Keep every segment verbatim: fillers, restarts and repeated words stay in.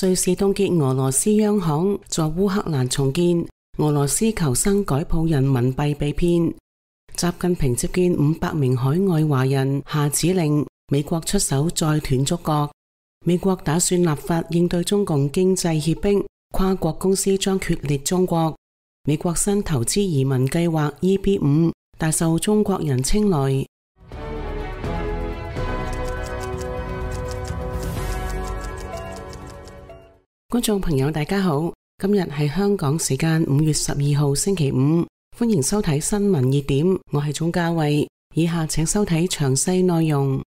瑞士凍結俄羅斯央行，助烏克蘭重建。俄羅斯求生改譜人民幣被騙。習近平接見五百名海外華人，下指令美國出手再斷觸角。美國打算立法應對中共經濟脅迫，跨國公司將決裂中國。美國新投資移民計劃 E B 五大受中國人青睞。觀眾朋友大家好，今日係香港時間五月十二號星期五，歡迎收睇新聞熱點，我係鍾嘉慧，以下請收睇詳細內容。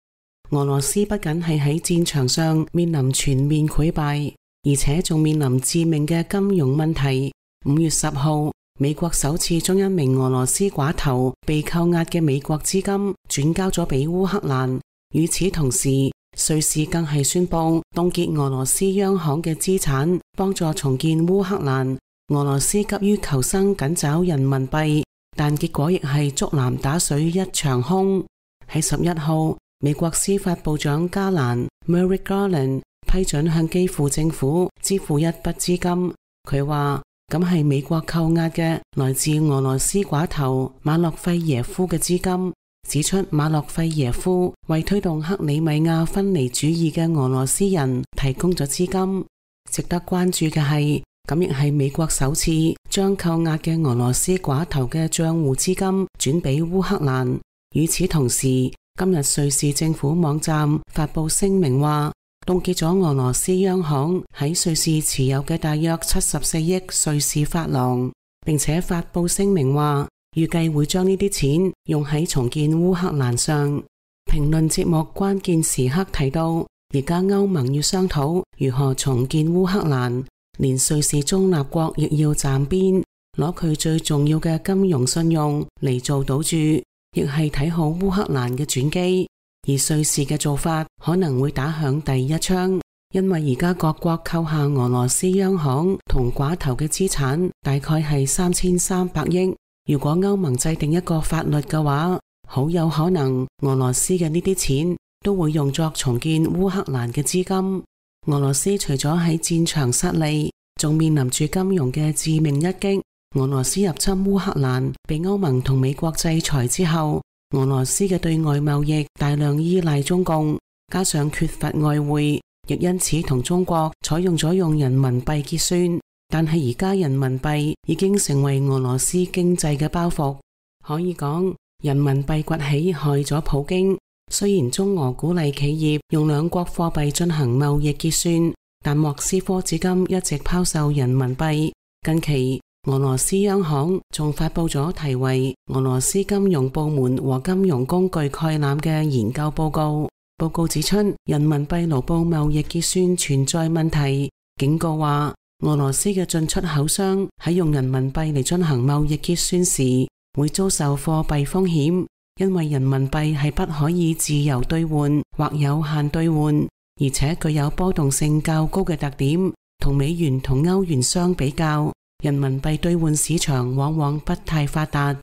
俄羅斯不僅係喺戰場上面臨全面潰敗，而且仲面臨致命嘅金融問題。五月十號，美國首次將一名俄羅斯寡頭被扣押嘅美國資金轉交咗俾烏克蘭。與此同時，瑞士更係宣布凍結俄羅斯央行嘅資產，幫助重建烏克蘭。俄羅斯急於求生，緊找人民幣，但結果亦係竹籃打水一場空。喺十一號，美國司法部長加蘭 Merrick Garland 批准向基輔政府支付一筆資金。佢話咁係美國扣押嘅來自俄羅斯寡頭馬洛費耶夫嘅資金。指出馬洛費耶夫為推動克里米亞分離主義嘅俄羅斯人提供咗資金。值得關注嘅係，咁亦係美國首次將扣押嘅俄羅斯寡頭嘅賬戶資金轉俾烏克蘭。與此同時，今日瑞士政府網站發佈聲明話，凍結咗俄羅斯央行喺瑞士持有嘅大約七十四億瑞士法郎，並且發佈聲明話，預計會將呢啲錢用喺重建烏克蘭上。評論節目關鍵時刻提到，而家歐盟要商討如何重建烏克蘭，連瑞士中立國亦要站邊，攞佢最重要嘅金融信用嚟做賭注，亦係睇好烏克蘭嘅轉機。而瑞士嘅做法可能會打響第一槍，因為而家各國扣下俄羅斯央行同寡頭嘅資產大概係三千三百億。如果歐盟制定一個法律嘅話，好有可能俄羅斯嘅呢啲錢都會用作重建烏克蘭嘅資金。俄羅斯除咗喺戰場失利，仲面臨住金融嘅致命一擊。俄羅斯入侵烏克蘭，被歐盟同美國制裁之後，俄羅斯嘅對外貿易大量依賴中共，加上缺乏外匯，亦因此同中國採用咗用人民幣結算。但係而家人民幣已經成為俄羅斯經濟嘅包袱，可以講人民幣崛起害咗普京。雖然中俄鼓勵企業用兩國貨幣進行貿易結算，但莫斯科至今一直拋售人民幣。近期俄羅斯央行仲發佈咗題為《俄羅斯金融部門和金融工具概覽》嘅研究報告。報告指出，人民幣盧布貿易結算存在問題，警告話俄羅斯嘅進出口商喺用人民幣嚟進行貿易結算時，會遭受貨幣風險，因為人民幣係不可以自由兌換或有限兌換，而且具有波動性較高嘅特點。同美元同歐元相比較，人民幣兌換市場往往不太發達。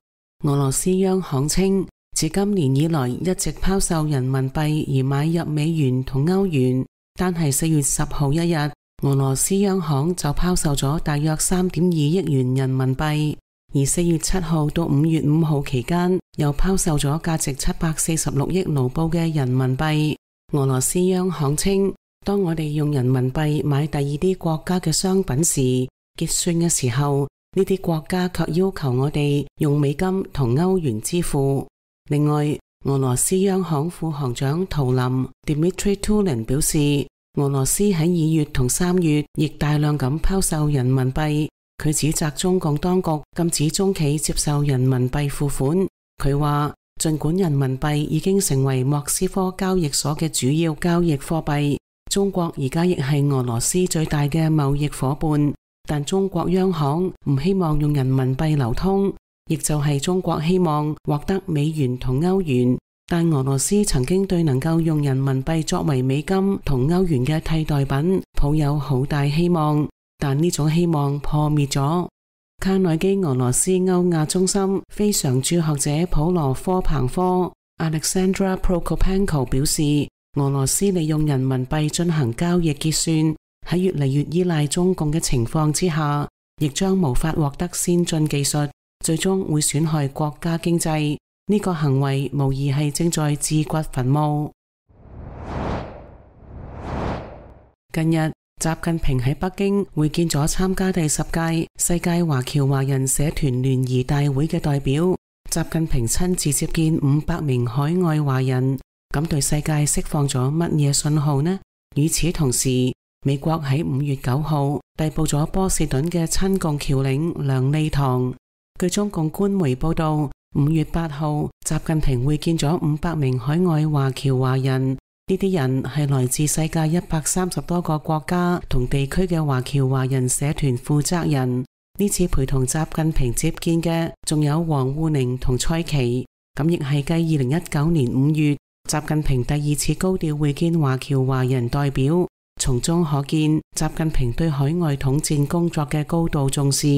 俄羅斯央行稱，自今年以來一直拋售人民幣而買入美元同歐元，單係四月十號一日，俄羅斯央行就拋售咗大約三點二億元人民幣，而四月七號到五月五號期間又拋售咗價值七百四十六億盧布嘅人民幣。俄羅斯央行稱，當我哋用人民幣買第二啲國家嘅商品時，結算嘅時候，呢啲國家卻要求我哋用美金同歐元支付。另外，俄羅斯央行副行長圖林 Dmitry Tulin 表示，俄羅斯喺二月同三月亦大量咁拋售人民幣。佢指責中共當局禁止中企接受人民幣付款。佢話，盡管人民幣已經成為莫斯科交易所嘅主要交易貨幣，中國而家亦係俄羅斯最大嘅貿易夥伴，但中國央行唔希望用人民幣流通，亦就係中國希望獲得美元同歐元。但俄羅斯曾經對能夠用人民幣作為美金同歐元嘅替代品抱有好大希望，但呢種希望破滅咗。卡內基俄羅斯歐亞中心非常駐學者普羅科彭科 Alexandra Prokopenko 表示，俄羅斯利用人民幣進行交易結算，喺越嚟越依賴中共嘅情況之下，亦將無法獲得先進技術，最終會損害國家經濟。呢個行為無疑係正在自掘墳墓。近日，習近平喺北京會見咗參加第十屆世界華僑華人社團聯誼大會嘅代表。習近平親自接見五百名海外華人，咁對世界釋放咗乜嘢信號呢？與此同時，美國喺五月九號逮捕咗波士頓嘅親共僑領梁利堂。據中共官媒報道，五月八號，習近平會見咗五百名海外華僑華人。呢啲人係來自世界一百三十多個國家同地區嘅華僑華人社團負責人。呢次陪同習近平接見嘅仲有王滬寧同蔡奇，咁亦係繼二零一九年五月習近平第二次高調會見華僑華人代表，從中可見習近平對海外統戰工作嘅高度重視。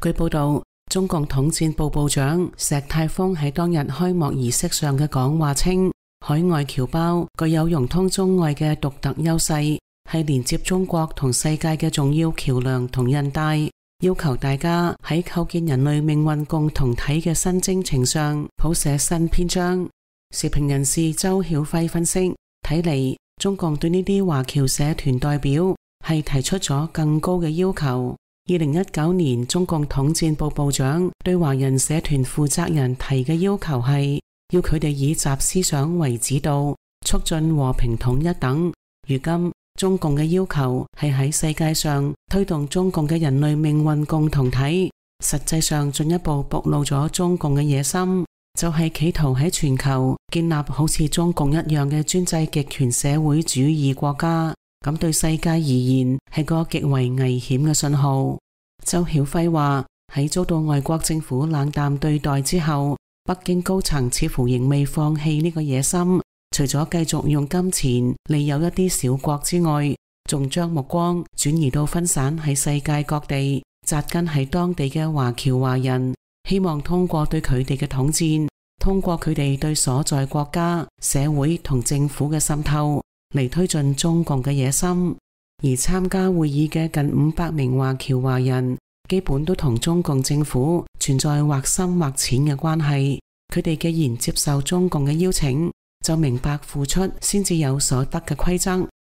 據報道，中共統戰部部長石泰峰喺當日開幕儀式上嘅講話稱，海外僑胞具有融通中外嘅獨特優勢，係連接中國同世界嘅重要橋樑同韌帶。要求大家喺構建人類命運共同體嘅新征程上譜寫新篇章。時評人士周曉輝分析，睇嚟中共對呢啲華僑社團代表係提出咗更高嘅要求。二零一九年中共統戰部部長對華人社團負責人提嘅要求係要佢哋以習思想為指導，促進和平統一等。如今中共嘅要求係喺世界上推動中共嘅人類命運共同體，實際上進一步暴露咗中共嘅野心，就係企圖喺全球建立好似中共一樣嘅專制極權社會主義國家。咁對世界而言係個極為危險嘅信號。周曉輝話，喺遭到外國政府冷淡對待之後，北京高層似乎仍未放棄呢個野心。除咗繼續用金錢利誘一啲小國之外，仲將目光轉移到分散喺世界各地、紮根喺當地嘅華僑華人，希望通過對佢哋嘅統戰，通過佢哋對所在國家、社會同政府嘅滲透，嚟推進中共嘅野心。而參加會議嘅近五百名華僑華人，基本都同中共政府存在或深或淺嘅關係。佢哋既然接受中共嘅邀請，就明白付出先至有所得嘅規則。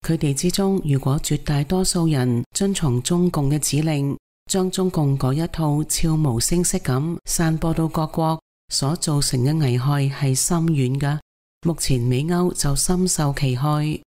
佢哋之中，如果絕大多數人遵從中共嘅指令，將中共嗰一套悄無聲息咁散播到各國，所造成嘅危害係深遠嘅。目前美歐就深受其害。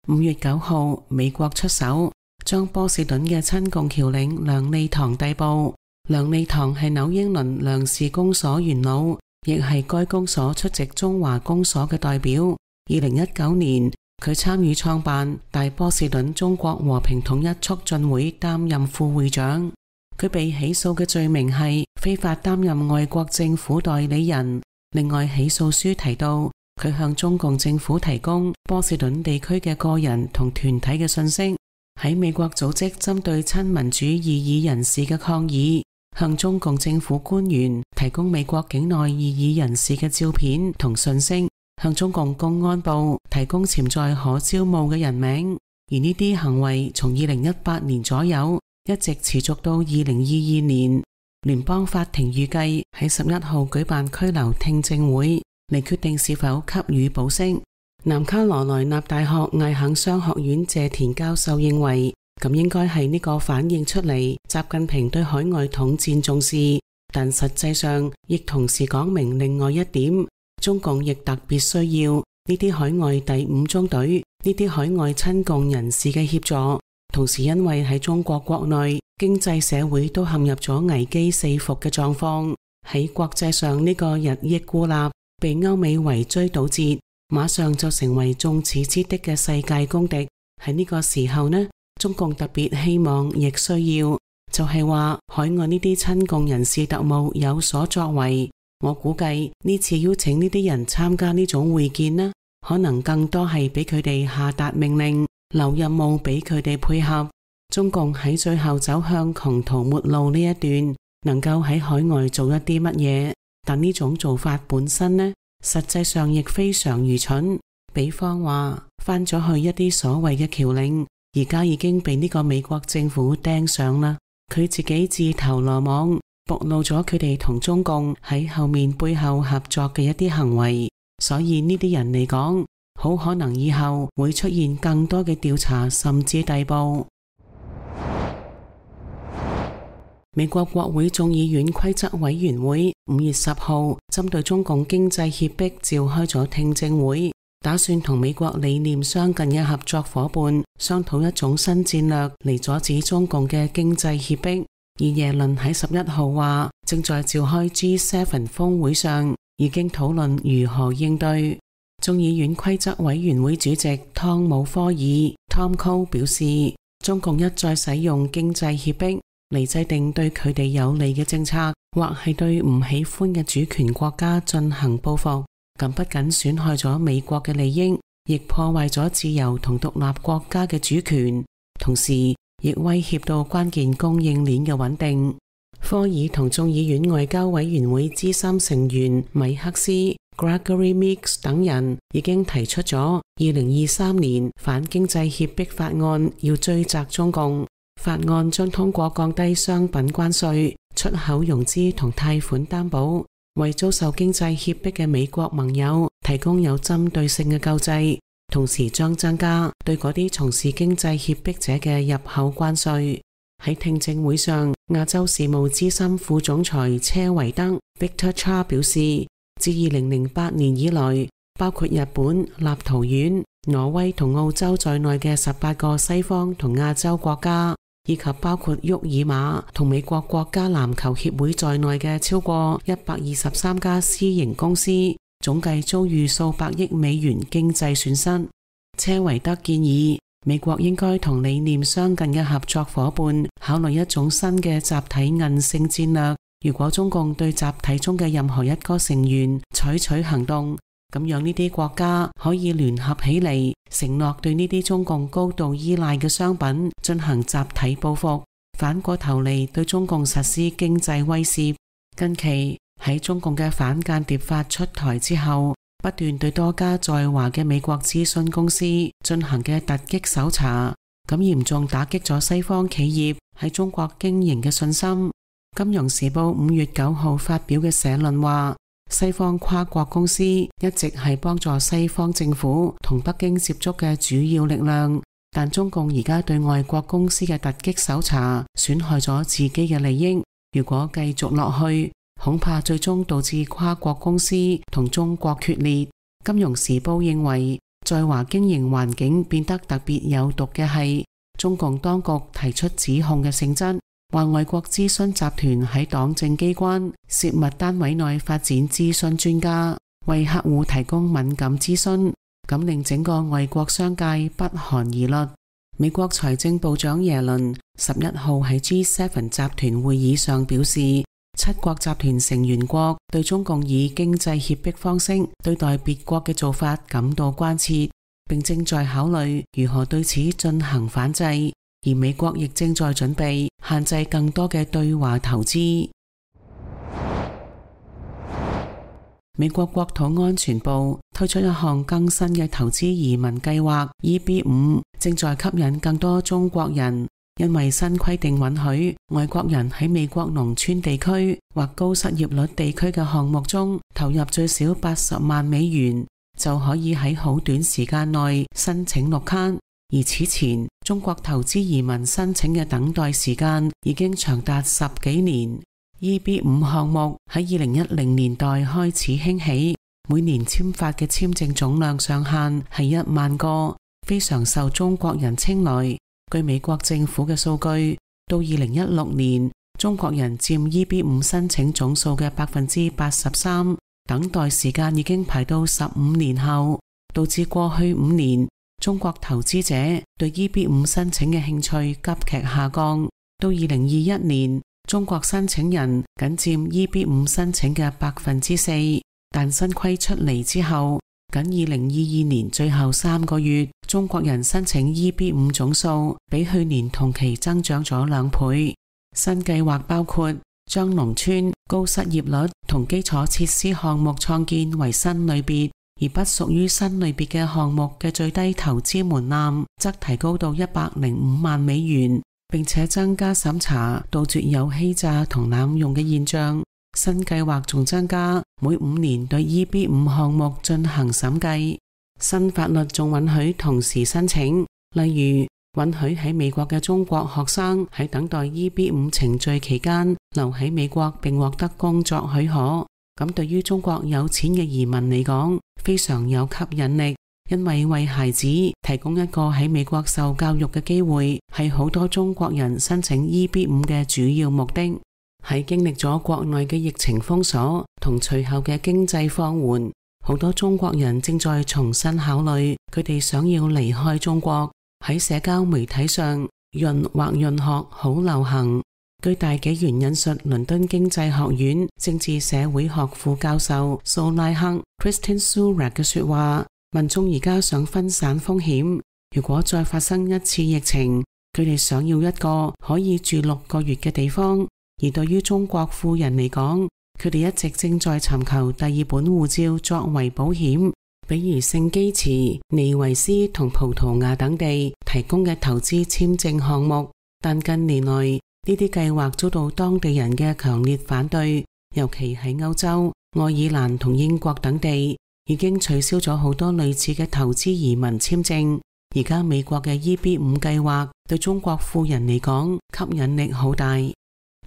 五月九號，美國出手將波士頓嘅親共僑領梁利堂逮捕。梁利堂係紐英倫梁氏公所元老，亦係該公所出席中華公所嘅代表。二零一九年，佢參與創辦大波士頓中國和平統一促進會，擔任副會長。佢被起訴嘅罪名係非法擔任外國政府代理人。另外，起訴書提到，佢向中共政府提供波士頓地區嘅個人同團體嘅信息，喺美國組織針對親民主異議人士嘅抗議，向中共政府官員提供美國境內異議人士嘅照片同信息，向中共公安部提供潛在可招募嘅人名。而呢啲行為從二零一八年左右一直持續到二零二二年。聯邦法庭預計喺十一號舉辦拘留聽證會，嚟決定是否給予保釋。南卡羅來納大學艾肯商學院謝田教授認為，咁應該係呢個反映出嚟習近平對海外統戰重視，但實際上亦同時講明另外一點，中共亦特別需要呢啲海外第五中隊、呢啲海外親共人士嘅協助。同時因為喺中國國內經濟社會都陷入咗危機四伏嘅狀況，喺國際上呢個日益孤立，被歐美圍追堵截，馬上就成為眾矢之的嘅世界公敵。喺呢個時候呢，中共特別希望亦需要，就係話海外呢啲親共人士特務有所作為。我估計呢次邀請呢啲人參加呢種會見呢，可能更多係俾佢哋下達命令，留任務俾佢哋配合。中共喺最後走向窮途末路呢一段，能夠喺海外做一啲乜嘢？但呢種做法本身呢，實際上亦非常愚蠢。比方話，翻咗去一啲所謂嘅僑領，而家已經被呢個美國政府盯上啦。佢自己自投羅網，暴露咗佢哋同中共喺後面背後合作嘅一啲行為，所以呢啲人嚟講，好可能以後會出現更多嘅調查，甚至逮捕。美國國會眾議院規則委員會五月十號針對中共經濟脅迫召開咗聽證會，打算同美國理念相近嘅合作夥伴商討一種新戰略嚟阻止中共嘅經濟脅迫。而耶倫喺十一號話，正在召開 G 七 峰會上已經討論如何應對。眾議院規則委員會主席湯姆科爾 Tom Cole 表示，中共一再使用經濟脅迫嚟制定對佢哋有利嘅政策，或係對唔喜歡嘅主權國家進行報復，咁不僅損害咗美國嘅利益，亦破壞咗自由同獨立國家嘅主權，同時亦威脅到關鍵供應鏈嘅穩定。科爾同眾議院外交委員會資深成員米克斯 Gregory Meeks 等人已經提出咗二零二三年反經濟脅迫法案，要追責中共。法案將通過降低商品關稅、出口融資同貸款擔保，為遭受經濟脅迫嘅美國盟友提供有針對性嘅救濟，同時將增加對嗰啲從事經濟脅迫者嘅入口關稅。喺聽證會上，亞洲事務資深副總裁車維德 Victor Cha 表示，自二零零八年以來，包括日本、立陶宛、挪威同澳洲在內嘅十八個西方同亞洲國家，以及包括沃爾瑪同美國國家籃球協會在內嘅超過一百二十三家私營公司，總計遭遇數百億美元經濟損失。車維德建議美國應該同理念相近嘅合作夥伴考慮一種新嘅集體韌性戰略。如果中共對集體中嘅任何一個成員採取行動，咁樣呢啲國家可以聯合起嚟，承諾對呢啲中共高度依賴嘅商品進行集體報復，反過頭嚟對中共實施經濟威懾。近期喺中共嘅反間諜法出台之後，不斷對多家在華嘅美國諮詢公司進行嘅突擊搜查，咁嚴重打擊咗西方企業喺中國經營嘅信心。金融時報五月九號發表嘅社論話，西方跨國公司一直係幫助西方政府同北京接觸嘅主要力量，但中共而家對外國公司嘅突擊搜查，損害咗自己嘅利益。如果繼續落去，恐怕最終導致跨國公司同中國決裂。金融時報認為，在華經營環境變得特別有毒嘅係中共當局提出指控嘅性質，話外國諮詢集團喺黨政機關、涉密單位內發展諮詢專家，為客戶提供敏感諮詢，咁令整個外國商界不寒而栗。美國財政部長耶倫十一號喺 G 七 集團會議上表示，七國集團成員國對中共以經濟脅迫方式對待別國嘅做法感到關切，並正在考慮如何對此進行反制，而美國亦正在準備限制更多嘅對華投資。美國國土安全部推出一項更新嘅投資移民計劃 E B 五，正在吸引更多中國人。因為新規定允許外國人喺美國農村地區或高失業率地區嘅項目中投入最少八十萬美元，就可以喺好短時間內申請綠卡。而此前中國投資移民申請嘅等待時間已經長達十幾年。E B 五 項目喺二零一零年代開始興起，每年簽發嘅簽證總量上限係一萬個，非常受中國人青睞。據美國政府嘅數據，到二零一六年，中國人佔 E B 五 申請總數嘅百分之八十三，等待時間已經排到十五年後，導致過去五年中國投資者對 E B 五 申請嘅興趣急劇下降。到二零二一年，中國申請人僅佔 E B 五 申請嘅百分之四，但新規出嚟之後，僅二零二二年最後三個月，中國人申請 E B 五 總數比去年同期增長咗兩倍。新計劃包括將農村高失業率同基礎設施項目創建為新類別，而不屬於新類別嘅項目嘅最低投資門檻則提高到一百零五萬美元，並且增加審查，杜絕有欺詐同濫用嘅現象。新計劃仲增加每五年對 E B 五 項目進行審計。新法律仲允許同時申請，例如允許喺美國嘅中國學生喺等待 E B 五 程序期間留喺美國並獲得工作許可。咁對於中國有錢嘅移民嚟講，非常有吸引力，因為為孩子提供一個喺美國受教育嘅機會，係好多中國人申請 E B 五 嘅主要目的。喺經歷咗國內嘅疫情封鎖同隨後嘅經濟放緩，好多中國人正在重新考慮佢哋想要離開中國。喺社交媒體上，潤或潤學好流行。據大紀元引述倫敦經濟學院政治社會學副教授蘇拉克 Kristen Surak 嘅說話，民眾而家想分散風險，如果再發生一次疫情，佢哋想要一個可以住六個月嘅地方。而對於中國富人嚟講，佢哋一直正在尋求第二本護照作為保險，比如聖基茨、尼維斯同葡萄牙等地提供嘅投資簽證項目。但近年來呢啲計劃遭到當地人嘅強烈反對，尤其喺歐洲、愛爾蘭同英國等地已經取消咗好多類似嘅投資移民簽證。而家美國嘅 E B 五 計劃對中國富人嚟講吸引力好大。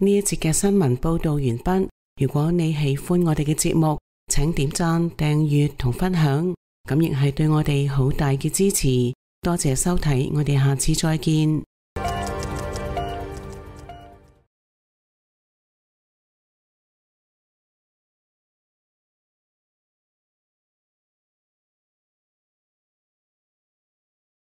呢一節嘅新聞報道完畢。如果你喜歡我哋嘅節目，請點讚、訂閱同分享，咁亦係對我哋好大嘅支持。多謝收睇，我哋下次再見。